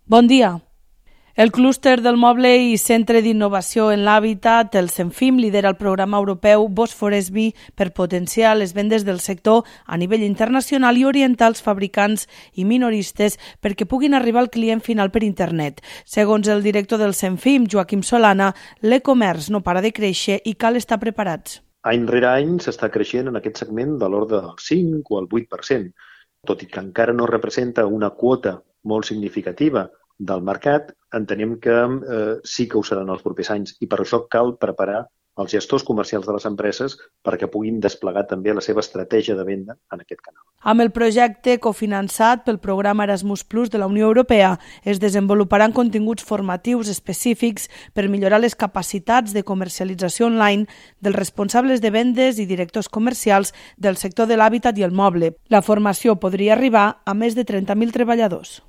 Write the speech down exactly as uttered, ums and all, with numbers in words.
Bon dia. El clúster del moble i Centre d'Innovació en l'Hàbitat, el CENFIM, lidera el programa europeu Bosphorus-B per potenciar les vendes del sector a nivell internacional i orientar els fabricants i minoristes perquè puguin arribar al client final per internet. Segons el director del CENFIM, Joaquim Solana, l'e-comerç no para de créixer i cal estar preparats. Any rere any s'està creixent en aquest segment de l'ordre del cinc o el vuit per cent, tot i que encara no representa una quota molt significativa del mercat, entenem que eh, sí que ho seran els propers anys i per això cal preparar els gestors comercials de les empreses perquè puguin desplegar també la seva estratègia de venda en aquest canal. Amb el projecte cofinançat pel programa Erasmus Plus de la Unió Europea es desenvoluparan continguts formatius específics per millorar les capacitats de comercialització online dels responsables de vendes i directors comercials del sector de l'hàbitat i el moble. La formació podria arribar a més de trenta mil treballadors.